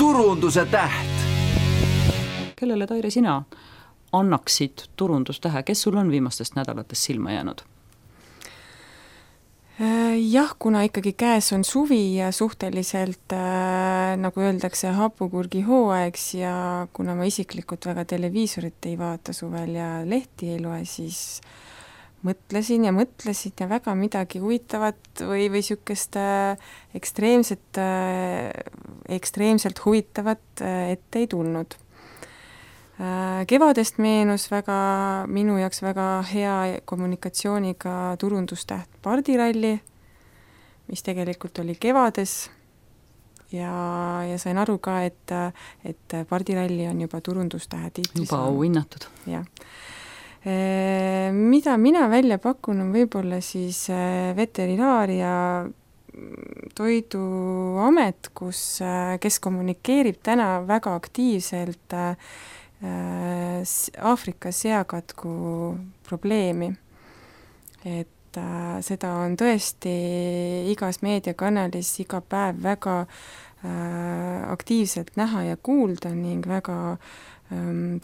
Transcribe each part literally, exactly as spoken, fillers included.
turunduse täht. Kellele, Taire, sina annaksid turundustähe, kes sul on viimastest nädalatest silma jäänud? Jah, kuna ikkagi käes on suvi ja suhteliselt, äh, nagu öeldakse, hapukurgi hooaegs ja kuna ma isiklikult väga televiisorit ei vaata suvel ja lehti ei loe, siis mõtlesin ja mõtlesin ja väga midagi huvitavat või, või niisugust äh, ekstreemset, äh, ekstreemselt huvitavat äh, ette ei tulnud. Äh, kevadest meenus väga, minu jaoks väga hea kommunikatsiooniga turundustäht Pardiralli, mis tegelikult oli kevades ja, ja sain aru ka, et, et Pardiralli on juba turundustähe tiitlis. Juba auhinnatud. Jah. Mida mina välja pakun, on võib-olla siis veterinaaria toiduamet, kus, kes kommunikeerib täna väga aktiivselt Aafrika seakatku probleemi. Et äh, seda on tõesti igas meediakanalis iga päev väga äh, aktiivselt näha ja kuulda ning väga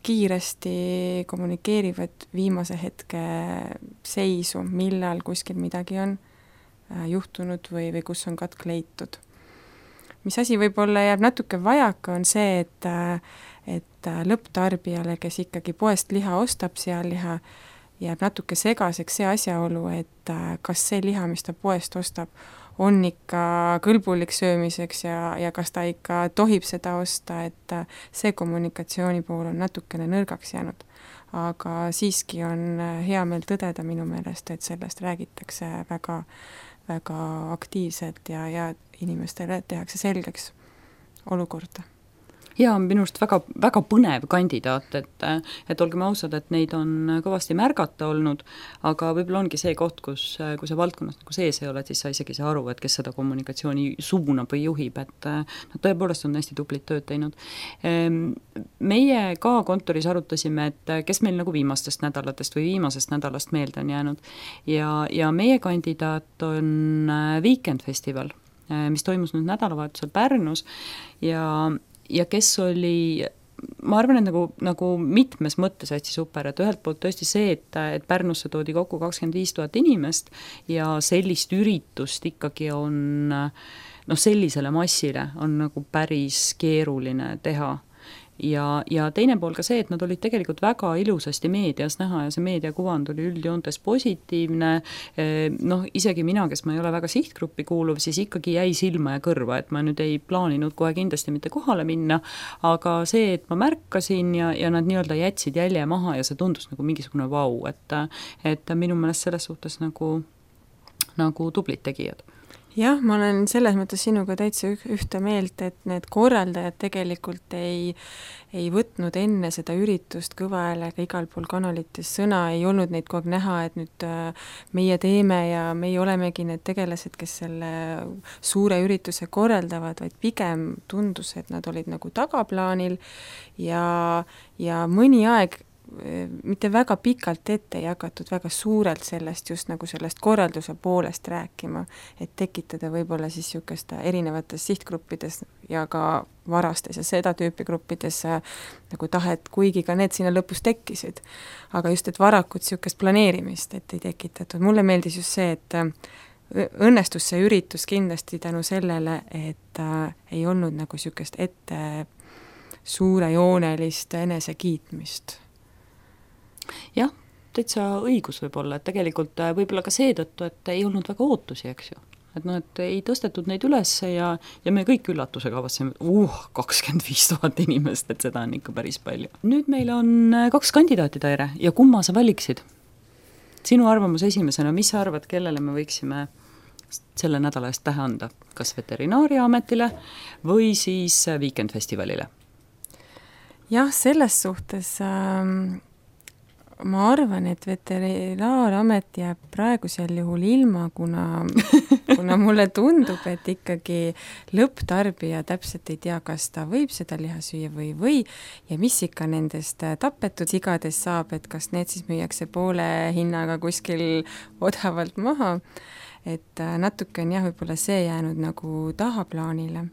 kiiresti kommunikeerivad viimase hetke seisu, millal kuskil midagi on juhtunud või, või kus on katk leitud. Mis asi võib-olla jääb natuke vajaka, on see, et, et lõpptarbijale, kes ikkagi poest liha ostab, sealiha, jääb natuke segaseks see asjaolu, et kas see liha, mis ta poest ostab, on ikka kõlbulik söömiseks ja, ja kas ta ikka tohib seda osta, et see kommunikatsiooni pool on natukene nõrgaks jäänud. Aga siiski on hea meel tõdeda minu meelest, et sellest räägitakse väga, väga aktiivselt ja, ja inimestele tehakse selgeks olukorda. Ja minust väga, väga põnev kandidaat, et, et olgem ausad, et neid on kõvasti märgata olnud, aga võib-olla ongi see koht, kus, kui sa valdkonnas nagu sees ei ole, siis sa isegi saa aru, et kes seda kommunikatsiooni suunab või juhib, et nad tõepoolest on hästi tublit tööd teinud. Meie ka kontoris arutasime, et kes meil nagu viimastest nädalatest või viimasest nädalast meelde on jäänud ja, ja meie kandidaat on Weekend Festival, mis toimus nüüd nädalavahetusel Pärnus ja ja kes oli, ma arvan, et nagu, nagu mitmes mõttes hästi super, et ühelt poolt tõesti see, et, et Pärnusse toodi kokku kakskümmend viis tuhat inimest ja sellist üritust ikkagi on, noh, sellisele massile on nagu päris keeruline teha. Ja, ja teine pool ka see, et nad olid tegelikult väga ilusasti meedias näha ja see meediakuvand oli üldjoontes positiivne, noh, isegi mina, kes ma ei ole väga sihtgruppi kuuluv, siis ikkagi jäi silma ja kõrva, et ma nüüd ei plaaninud kohe kindlasti mitte kohale minna, aga see, et ma märkasin ja, ja nad nii-öelda jätsid jälje maha ja see tundus nagu mingisugune vau, et, et minu meelest selles suhtes nagu, nagu tublid tegijad. Jah, ma olen selles mõttes sinuga täitsa ühte meelt, et need korraldajad tegelikult ei, ei võtnud enne seda üritust kõva häälega igal pool kanalites sõna, ei olnud neid kogu aeg näha, et nüüd meie teeme ja meie olemegi need tegelased, kes selle suure ürituse korraldavad, vaid pigem tundus, et nad olid nagu tagaplaanil ja, ja mõni aeg mitte väga pikalt ette jagatud väga suurelt sellest just nagu sellest korralduse poolest rääkima, et tekitada võib-olla siis niisugust erinevates sihtgruppides ja ka varastes ja seda tüüpi gruppides nagu tahet, kuigi ka need sinna lõpus tekkisid. Aga just, et varakult niisugust planeerimist, et ei tekitatud. Mulle meeldis just see, et õnnestus see üritus kindlasti tänu sellele, et ei olnud nagu niisugust ette suurejoonelist enesekiitmist. Jah, täitsa õigus võib-olla, et tegelikult võib-olla ka seetõttu, et ei olnud väga ootusi, eks ju. Et no, et ei tõstetud neid üles ja, ja me kõik üllatusega avasime, et uh, kakskümmend viis tuhat inimest, et seda on ikka päris palju. Nüüd meil on kaks kandidaati, Taire, ja kumma sa valiksid? Sinu arvamus esimesena, mis sa arvad, kellele me võiksime selle nädala eest tähe anda? Kas Veterinaariaametile või siis Weekend Festivalile? Jah, selles suhtes ähm... ma arvan, et Veterinaaramet jääb praegusel juhul ilma, kuna, kuna mulle tundub, et ikkagi lõpptarbija täpselt ei tea, kas ta võib seda liha süüa või või ja mis ikka nendest tapetud sigades saab, et kas need siis müüakse poole hinnaga kuskil odavalt maha, et natuke on jah, võib-olla see jäänud nagu tahaplaanile,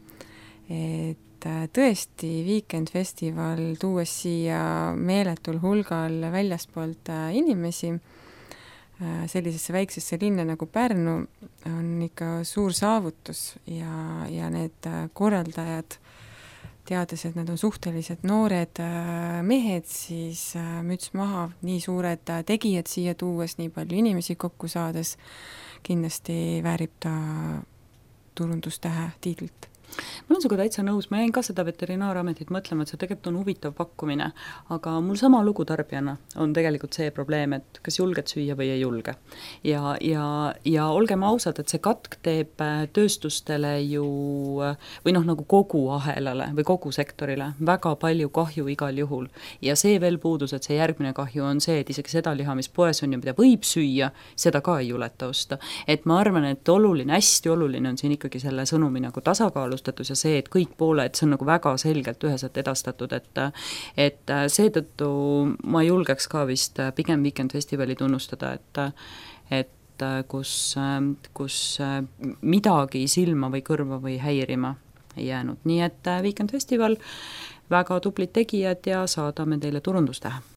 et tõesti Weekend Festival, tuues siia meeletul hulgal väljaspoolt inimesi sellisesse väiksesse linna nagu Pärnu, on ikka suur saavutus ja, ja need korraldajad, teades, et nad on suhteliselt noored mehed, siis müts maha, nii suured tegijad siia tuues, nii palju inimesi kokku saades, kindlasti väärib ta turundustähe tiitlit. Ma olen sinuga täitsa nõus, ma jäin ka seda veterinaarametit mõtlema, et see tegelikult on huvitav pakkumine, aga mul sama lugu tarbijana on tegelikult see probleem, et kas julged süüa või ei julge. Ja, ja, ja olgem ausad, et see katk teeb tööstustele ju, või noh, nagu kogu ahelale või kogu sektorile väga palju kahju igal juhul. Ja see veel puudus, et see järgmine kahju on see, et isegi seda liha, mis poes on ja mida võib süüa, seda ka ei juleta osta. Et ma arvan, et oluline, hästi oluline on siin ikkagi selle sõnumi nagu tasakaalus ja see, et kõik pooled, see on nagu väga selgelt üheselt edastatud, et et seetõttu ma julgeks ka vist pigem Weekend Festivali tunnustada, et et kus, kus midagi silma või kõrva või häirima ei jäänud. Nii et Weekend Festival, väga tublid tegijad ja saadame teile turundustähe.